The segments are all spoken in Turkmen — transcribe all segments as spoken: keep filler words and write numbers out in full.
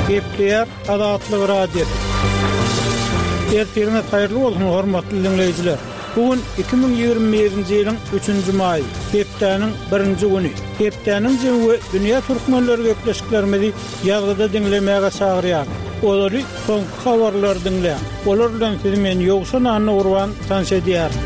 Gepleýär Azatlyk Radiosy. Ertiriňiz haýyrly bolsun, hormatly diňleýjiler. Bu gün iki müň ýigrimi birinji ýylyň üçünji maýy, hepdäniň birinji güni. Hepdäniň jemi we dünýä türkmenleri gepleşiklerimizi ýazgyda diňlemäge çagyrýar. Olary soňky habarlary diňläň. Olar bilen sizi men Ýowşan Annagurban tanyş edýärin.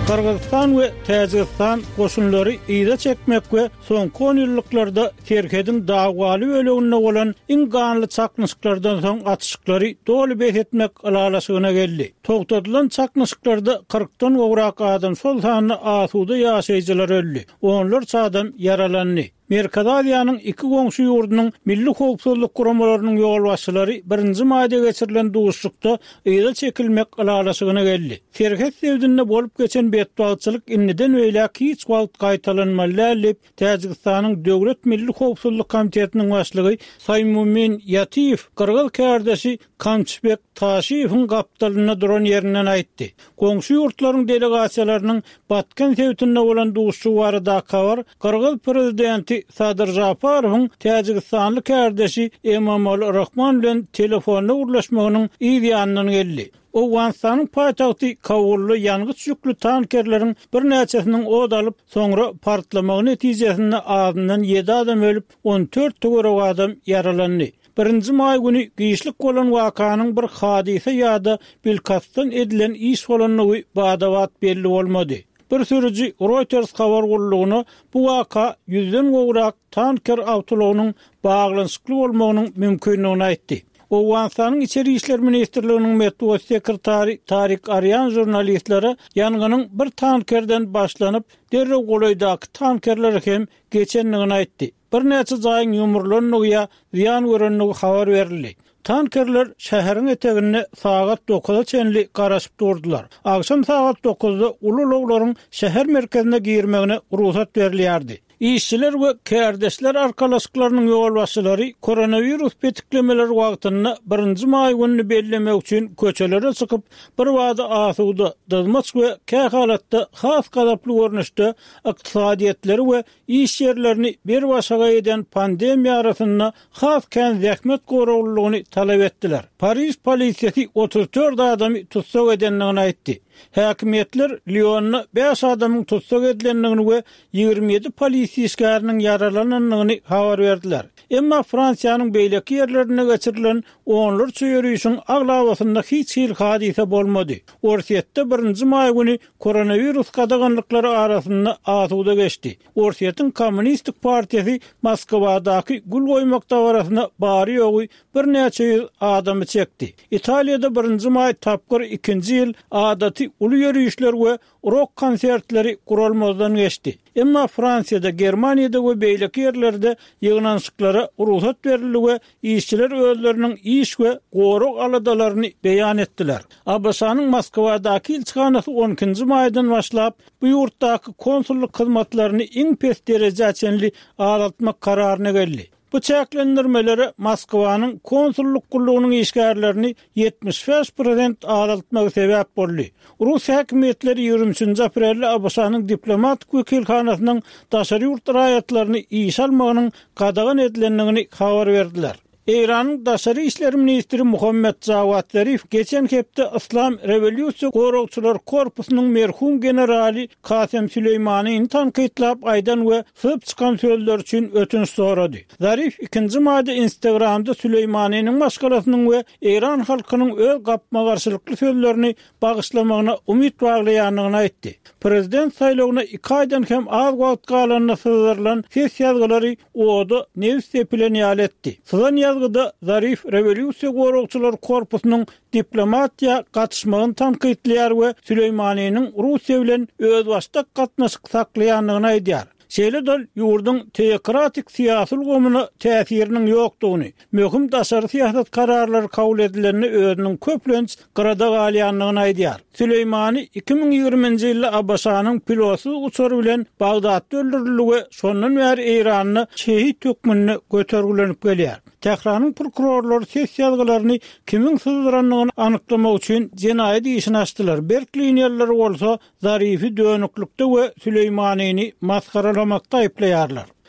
Gyrgyzystan we Täjigistan goşunlary yza çekmek we soňky on ýyllyklarda serhediň dawaly böleginde bolan iň ganly çaknyşyklardan soň atyşyklary doly bes etmek ylalaşygyna geldi. Togtadylan çaknyşyklarda kyrkdan gowrak adam, şol sanda asuda ýaşaýjylar öldi. Onlarça adam ýaralandy. Merkezi Aziýanyň iki goňşy ýurdunyň milli howpsuzlyk guramalarynyň ýolbaşçylary birinji maýda geçirilen duşuşykda yza çekilmek ylalaşygyna geldi. Serhet sebitinde bolup geçen betbagtçylyk indiden beýläk hiç wagt gaýtalanmaly däl diýip, Täjigistanyň Döwlet Milli Howpsuzlyk Komitetiniň başlygy Saýmumin Ýatiýew gyrgyz kärdeşi Kamçybek Taşiýewiň gapdalynda duran ýerinden aýtdy. Goňşy ýurtlaryň delegasiýalarynyň Batken sebitinde bolan duşuşygy baradaky habar gyrgyz prezidenti Sadyr Žaparowyň täjigistanly kärdeşi Emomali Rahmon bilen telefonda gürleşmeginiň yz ýanyndan geldi. Owganystanyň paýtagty Kabulda ýangyç ýükli tankerleriň birnäçesiniň ot alyp, soňra partlamagy netijesinde azyndan ýedi adam ölüp, on dört töweregi adam ýaralandy. Birinji maý güni giçlik bolan wakanyň bir hadysa ýa-da bilkastdan edilen iş bolandygy bada-bat belli bolmady. Bir sürüji Reuters habar gullugyna bu waka ýüzden gowrak tanker awtoulagynyň baglanyşykly bolmagynyň mümkindigini aýtdy. Owganystanyň Içeri işler ministrliginiň metbugat sekretary Tarik Arýan žurnalistlere ýangynyň bir tankerden başlanyp, derrew golaýdaky tankerlere hem geçendigini aýtdy. Birnäçe jaýyň ýumrulandygy ýa zyýan görendigi habar berildi. Tankerler şäheriň eteginde sagat dokuza çenli garaşyp durdular. Agşam sagat dokuzda uly ulaglaryň şäher merkezine girmegine rugsat berilýärdi. Işçiler we kärdeşler arkalaşyklarynyň ýolbaşçylary koronawirus petiklemeleri wagtynda birinji maý gününi bellemek üçin köçelere çykyp, bir bada asuda, dyzmaç we kähalatda has gazaply görnüşde ykdysadyýetleri we iş ýerlerini bir başaga eden pandemiýa arasynda has kän zähmet goraglylygyny talap etdiler. Pariž polisiýasy otuz dört adamy tussag edendigini aýtdy. Häkimiýetler Lionda bäş adamyň tussag edilendigini we ýigrimi ýedi polisiýa işgäriniň ýaralanandygyny habar berdiler. Emma Fransiýanyň beýleki ýerlerinde geçirilen onlarça ýörişiň aglabasynda hiç hili hadysa bolmady. Orsýetde birinji maý güni koronawirus gadaganlyklary arasynda asuda geçdi. Orsýetiň Kommunistik partiýasy Moskwadaky gül goýmak dabarasyna bary-ýogy birnäçe ýüz adamy çekdi. Italiýada birinji maý tapgyr ikinji ýyl adaty uly ýörişler we rok konsertleri guralmazdan geçdi. Emma Fransiýada, Germaniýada we beýleki ýerlerde ýygnanyşyklara rugsat berildi we işçiler özleriniň iş we gorag aladalaryny beýan etdiler. A B Ş-nyň Moskwadaky ilçihanasy on ikinji maýdan başlap, bu ýurtdaky konsullyk hyzmatlaryny iň pes derejä çenli azaltmak kararyna geldi. Bu çäklendirmelere Moskwanyň konsullyk gullugynyň işgärlerini ýetmiş bäş prosent azaltmagy sebäp boldy. Rus häkimiýetleri ýigrimi üçünji aprelde A B Ş-nyň diplomatik wekilhanasynyň daşary ýurt raýatlaryny işe almagynyň gadagan edilendigini habar berdiler. Eýranyň daşary işler ministri Muhammed Jawad Zarif geçen hepde Islam Rewolýusiýa Goragçylar Korpusynyň merhum generaly Kasem Süleýmanyny tankytlap aýdan we syzyp çykan sözler üçin ötünç sorady. Zarif ikinji maýda Instagramda Süleýmanynyň maşgalasynyň we Eýran halkynyň öz gapma-garşylykly sözlerini bagyşlamagyna umyt baglaýandygyny aýtdy. Prezident saýlawyna iki aýdan hem az wagt galanda syzdyrylan ses ýazgylary oda nefis sepilen ýaly etdi. Syzan ýazgyda Zarif Rewolýusiýa Goragçylar Korpusynyň diplomatiýa gatyşmagyny tankytlaýar we Süleýmanynyň Russiýa bilen özbaşdak gatnaşyk saklaýandygyny aýdýar. Şeýle-de ol ýurduň teokratik syýasy ulgamyna täsiriniň ýokdugyny, möhüm daşary syýasat kararlary kabul edilende özüniň köplenç gyrada galýandygyny aýdýar. Süleýmany iki müň ýigriminji ýylda A B Ş-nyň pilotsyz uçary bilen Bagdatda öldürildi we şondan bäri Eýranda şehit hökmünde götergilenip gelýär. Tähranyň prokurorlary ses ýazgylaryny kimiň syzdyrandygyny anyklamak üçin jenaýat işini açdylar. Berk liniýalary bolsa Zarifi dönüklikde we Süleýmanyny masgaralamakda aýyplaýarlar.